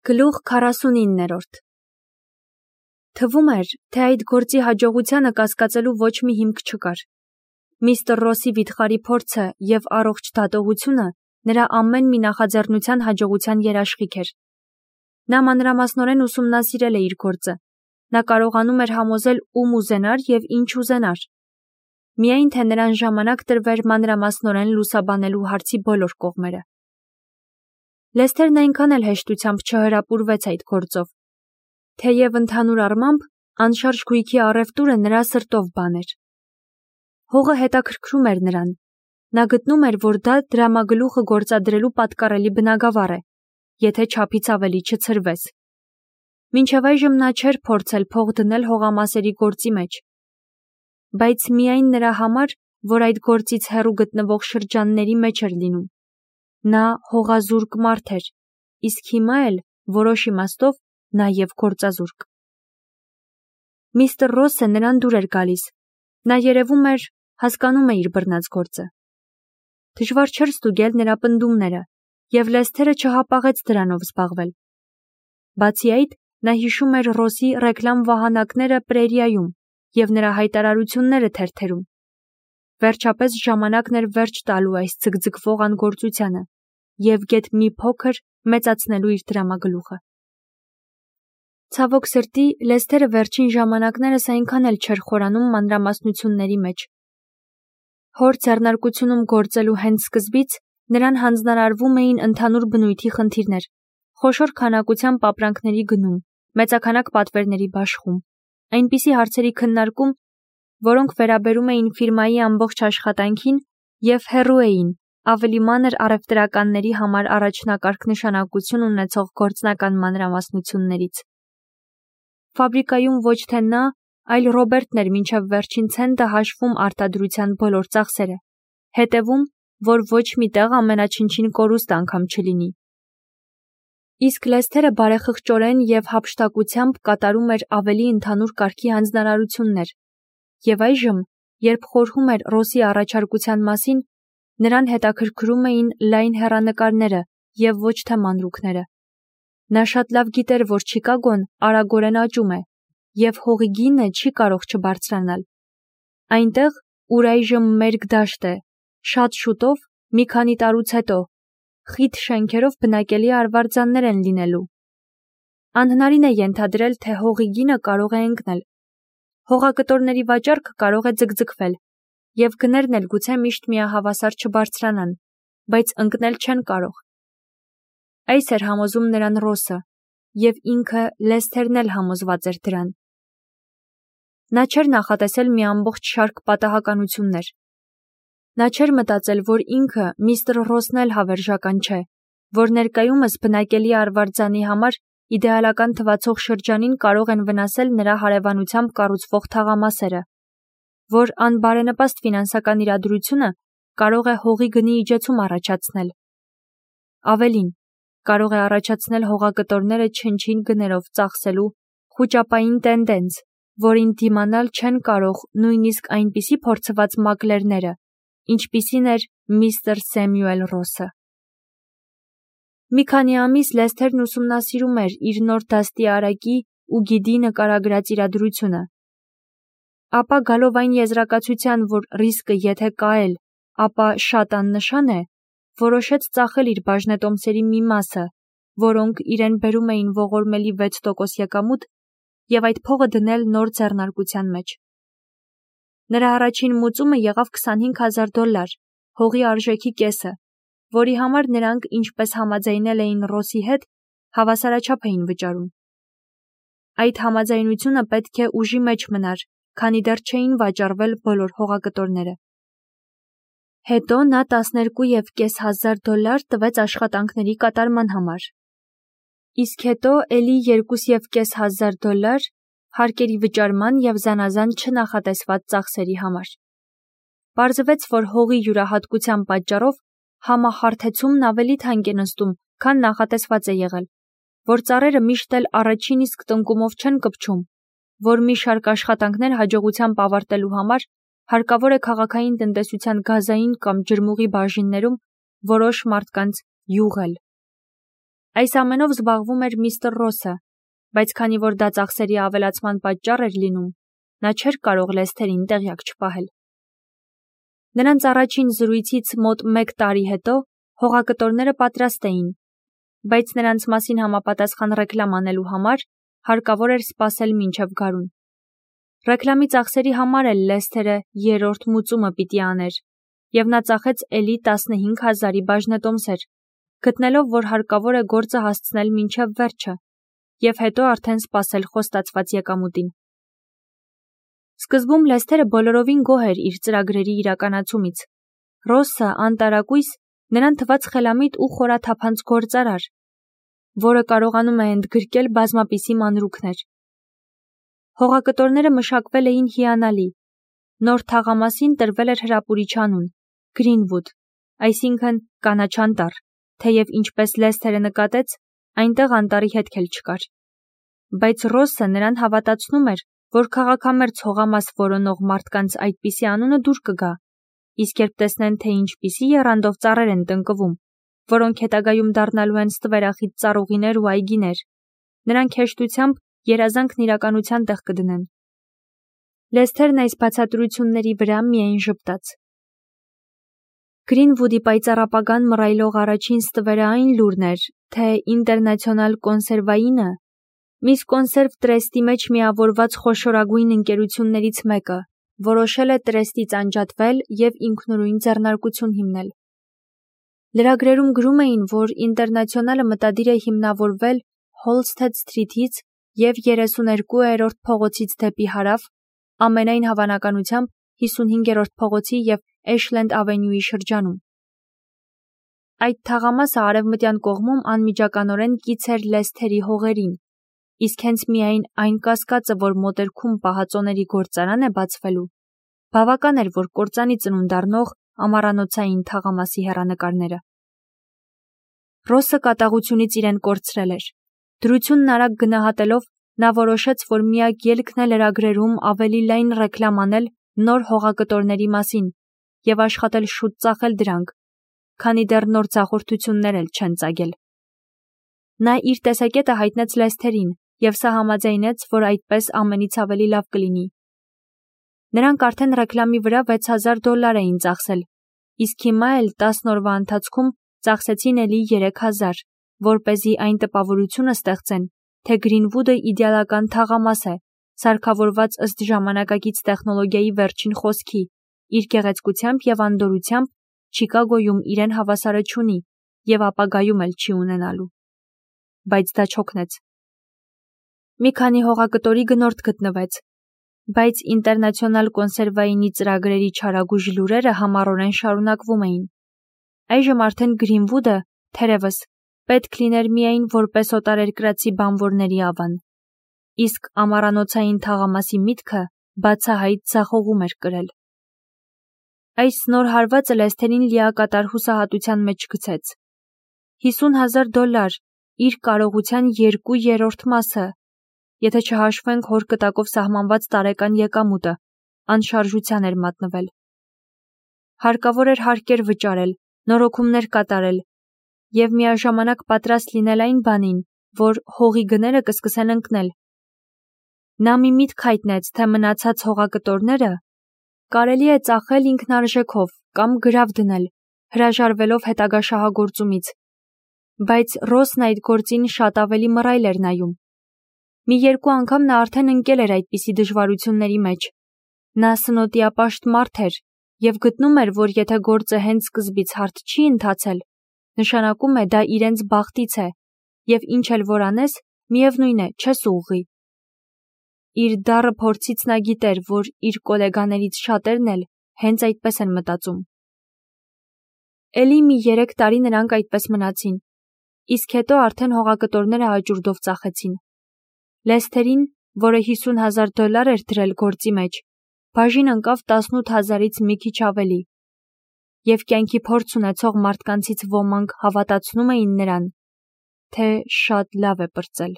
Գլուխ 49-րդ Թվում էր, թե այդ գործի հաջողությանը կասկածելու ոչ մի հիմք չկար։ Միստր Ռոսի վիթխարի փորձը և առողջ դատողությունը նրա ամեն մի նախաձեռնության հաջողության երաշխիք էր։ Նա մանրամասնորեն ուսումնասիրել է իր գործը։ Նա կարողանում էր համոզել ում ուզենար և ինչ ուզենար։ Միայն թե նրան ժամանակ տրվեր մանրամասնորեն լուսաբանելու հարցի բոլոր կողմերը։ Լեսթերն այնքան էլ հեշտությամբ չհրապուրվեց այդ գործով։ Թեև ընդհանուր առմամբ անշարժ գույքի առևտուրը նրա սրտով բան էր։ Հողը հետաքրքրում էր նրան։ Նա գտնում էր, որ դա դրամագլուխը գործադրելու պատկառելի բնագավառ է, եթե չափից ավելի չցրվեց։ Մինչև այժմ նա չէր փորձել փող դնել հողամասերի գործի մեջ։ Բայց միայն նրա համար, որ այդ գործից հեռու գտնվող շրջանների մեջ էր լինում։ Նա հողազուրկ մարդ էր, իսկ հիմա էլ, որոշ իմաստով, նաև գործազուրկ։ Միստր Ռոսը նրան դուր էր գալիս։ Նա երևում էր, հասկանում է իր բռնած գործը։ Դժվար չէր ստուգել նրա պնդումները, և Լեսթերը չհապաղեց դրանով զբաղվել։ Բացի այդ, նա հիշում էր Ռոսի ռեկլամ վահանակները Պրերիայում և նրա հայտարարությունները թերթերում։ Վերջապես ժամանակն էր վերջ տալու այս ձգձգվող անգործությանը և գեթ մի փոքր մեծացնելու իր դրամագլուխը։ Ցավոք սրտի, Լեսթերը վերջին ժամանակներս այնքան էլ չէր խորանում մանրամասնությունների մեջ։ Հոր ձեռնարկությունում գործելու հենց սկզբից նրան հանձնարարվում էին ընդհանուր բնույթի խնդիրներ, խոշոր քանակությամբ ապրանքների գնում, մեծաքանակ պատվերների բաշխում, այնպիսի հարցերի քննարկում, որոնք վերաբերում էին ֆիրմայի ամբողջ աշխատանքին և հեռու էին ավելի մանր առևտրականների համար առաջնակարգ նշանակություն ունեցող գործնական մանրամասնություններից։ Ֆաբրիկայում ոչ թե նա, այլ Ռոբերտն էր մինչև վերջին ցենտը հաշվում արտադրության բոլոր ծախսերը, հետևում, որ ոչ մի տեղ ամենաչնչին կորուստ անգամ չլինի։ Իսկ Լեսթերը բարեխղճորեն և հափշտակությամբ կատարում էր ավելի ընդհանուր կարգի հանձնարարություններ, և այժմ, երբ խորհում էր Ռոսի առաջարկության մասին, նրան հետաքրքրում էին լայն հեռանկարները և ոչ թե մանրուքները։ Նա շատ լավ գիտեր, որ Չիկագոն արագորեն աճում է, և հողի գինը չի կարող չբարձրանալ։ Այնտեղ, ուր այժմ մերկ դաշտ է, շատ շուտով, մի քանի տարուց հետո, խիտ շենքերով բնակելի արվարձաններ են լինելու։ Անհնարին է ենթադրել, թե հողի գինը կարող է ընկնել։ Հողակտորների վաճառքը կարող է ձգձգվել, և գներն էլ գուցե միշտ միահավասար չբարձրանան, բայց ընկնել չեն կարող։ Այս էր համոզում նրան Ռոսը, և ինքը Լեսթերն էլ համոզված էր դրան։ Նա չէր նախատեսել մի ամբողջ շարք պատահականություններ։ Նա չէր մտածել, որ ինքը, միստր Ռոսն էլ հավերժական չէ, որ ներկայումս բնակելի արվարձանի համար իդեալական թվացող շրջանին կարող են վնասել նրա հարևանությամբ կառուցվող թաղամասերը, որ անբարենպաստ ֆինանսական իրադրությունը կարող է հողի գնի իջեցում առաջացնել։ Ավելին, կարող է առաջացնել հողակտորները չնչին գներով ծախսելու խուճապային տենդենց, որին դիմանալ չեն կարող նույնիսկ այնպիսի փորձված մակլերները, ինչպիսին էր միստր Սեմյուել Ռոսը։ Մի քանի ամիս Լեսթերն ուսումնասիրում էր իր նոր դաստիարակի ու գիդի նկարագրած իրադրությունը։ Ապա գալով այն եզրակացության, որ ռիսկը եթե կա էլ, ապա շատ աննշան է, որոշեց ծախել իր բաժնետոմսերի մի մասը, որոնք իրեն բերում էին ողորմելի 6% եկամուտ, և այդ փողը դնել նոր ձեռնարկության մեջ։ Նրա առաջին մուծումը եղավ $25,000, հողի արժեքի կեսը, որի համար նրանք, ինչպես համաձայնել էին Ռոսի հետ, հավասարաչափ էին վճարում։ Այդ համաձայնությունը պետք է ուժի մեջ մնար, քանի դեռ չէին վաճառվել բոլոր հողակտորները։ Հետո նա $12,500 տվեց աշխատանքների կատարման համար։ Իսկ հետո էլի $2,500 հարկերի վճարման և զանազան չնախատեսված ծախսերի համար։ Պարզվեց, որ հողի յուրահատկության պատճառով համախարթեցումն ավելի թանկ է նստում, քան նախատեսված է եղել, որ ծառերը միշտ էլ առաջին իսկ տնկումով չեն կպչում, որ մի շարք աշխատանքներ հաջողությամբ ավարտելու համար հարկավոր է քաղաքային տնտեսության գազային կամ ջրմուղի բաժիններում որոշ մարդկանց յուղել։ Այս ամենով զբաղվում էր միստր Ռոսը, բայց քանի որ դա ծախսերի ավելացման պատճառ էր լինում, նա չէր կարող Լեսթերին տեղյակ չպահել։ Նրանց առաջին զրույցից մոտ 1 տարի հետո հողակտորները պատրաստ էին, բայց նրանց մասին համապատասխան ռեկլամ անելու համար հարկավոր էր սպասել մինչև գարուն։ Ռեկլամի ծախսերի համար էլ Լեսթերը 3-րդ մուծումը պիտի աներ, և նա ծախեց էլի 15,000-ի բաժնետոմսեր, գտնելով, որ հարկավոր է գործը հասցնել մինչև վերջը, և հետո արդեն սպասել խոստացված եկամուտին։ Սկզբում Լեսթերը բոլորովին գոհ էր իր ծրագրերի իրականացումից։ Ռոսը անտարակույս նրան թվաց խելամիտ ու խորաթափանց գործարար, որը կարողանում է ընդգրկել բազմապիսի մանրուքներ։ Հողակտորները մշակվել էին հիանալի։ Նոր թաղամասին տրվել էր հրապուրիչ անուն՝ Գրինվուդ, այսինքն կանաչանտառ, թեև ինչպես Լեսթերը նկատեց, այնտեղ անտառի հետք էլ չկար։ Բայց Ռոսը նրան հավատացնում էր, որ քաղաքամերձ հողամաս որոնող մարդկանց այդպիսի անունը դուր կգա, իսկ երբ տեսնեն, թե ինչպիսի եռանդով ծառեր են տնկվում, որոնք հետագայում դառնալու են ստվերախիտ ծառուղիներ ու այգիներ, նրանք հեշտությամբ երազանքն իրականության տեղ կդնեն։ Լեսթերն այս բացատրությունների վրա միայն ժպտաց։ Գրինվուդի պայծառապագան մռայլող առաջին ստվերը այն լուրն էր, թե Ինտերնացիոնալ կոնսերվայինը, միս կոնսերվ տրեստի մեջ միավորված խոշորագույն ընկերություններից մեկը, որոշել է տրեստից անջատվել և ինքնուրույն ձեռնարկություն հիմնել։ Լրագրերում գրում էին, որ Ինտերնացիոնալը մտադիր է հիմնավորվել Հոլսթեդ Սթրիթից և 32-րդ փողոցից դեպի հարավ, ամենայն հավանականությամբ 55-րդ փողոցի և Էշլենդ ավենյուի շրջանում։ Այդ թաղամասը արևմտյան կողմում անմիջականորեն կից էր Լեսթերի հողերին, իսկ հենց միայն այն կասկածը, որ մոտերքում պահածոների գործարան է բացվելու, բավական էր, որ կործանի ծնունդ առնող ամառանոցային թաղամասի հեռանկարները։ Ռոսը կատաղությունից իրեն կորցրել էր։ Դրությունն արագ գնահատելով, նա որոշեց, որ միակ ելքն է լրագրերում ավելի լայն ռեկլամ անել նոր հողակտորների մասին և աշխատել շուտ ծախել դրանք, քանի դեռ նոր ձախորդություններ էլ չեն ծագել։ Նա իր տեսակետը հայտնեց Լեսթերին, և սա համաձայնեց, որ այդպես ամենից ավելի լավ կլինի։ Նրանք արդեն ռեկլամի վրա $6,000 էին ծախսել, իսկ հիմա էլ 10 օրվա ընթացքում ծախսեցին էլի 3,000, որպեսզի այն տպավորությունը ստեղծեն, թե Գրինվուդը իդեալական թաղամաս է, սարքավորված ըստ ժամանակակից տեխնոլոգիայի վերջին խոսքի, իր գեղեցկությամբ և անդորրությամբ Չիկագոյում իրեն հավասարը չունի և ապագայում էլ չի ունենալու։ Բայց դա չօգնեց։ Մի քանի հողակտորի գնորդ գտնվեց, բայց Ինտերնացիոնալ կոնսերվայինի ծրագրերի չարագույժ լուրերը համառորեն շարունակվում էին։ Այժմ արդեն Գրինվուդը, թերևս, պետք լիներ միայն որպես օտարերկրացի բանվորների ավան, իսկ ամառանոցային թաղամասի միտքը բացահայտ ձախողում էր կրել։ Այս նոր հարվածը Լեսթերին լիակատար հուսահատության մեջ գցեց։ $50,000, իր կարողության 2/3 մասը, եթե չհաշվենք հոր կտակով սահմանված տարեկան եկամուտը, անշարժության էր մատնվել։ Հարկավոր էր հարկեր վճարել, նորոգումներ կատարել և միաժամանակ պատրաստ լինել այն բանին, որ հողի գները կսկսեն ընկնել։ Նա մի միտք հայտնեց, թե մնացած հողակտորները կարելի է ծախել ինքնարժեքով կամ գրավ դնել, հրաժարվելով հետագա շահագործումից, բայց Ռոսն այդ գործին շատ ավելի մռայլ էր նայում։ Մի երկու անգամ նա արդեն ընկել էր այդպիսի դժվարությունների մեջ։ Նա սնոտիապաշտ մարդ էր և գտնում էր, որ եթե գործը հենց սկզբից հարթ չի ընթացել, նշանակում է դա իրենց բախտից է, և ինչ էլ որ անես, միևնույն է, չես ուղղի։ Իր դառը փորձից նա գիտեր, որ իր կոլեգաներից շատերն էլ հենց այդպես են մտածում։ Էլի մի 3 տարի նրանք այդպես մնացին, իսկ հետո արդեն հողակտորները հաճուրդով ծախեցին։ Լեսթերին, որը $50,000 էր դրել գործի մեջ, բաժին ընկավ 18,000-ից մի քիչ ավելի, և կյանքի փորձ ունեցող մարդկանցից ոմանք հավատացնում էին նրան, թե շատ լավ է պրծել։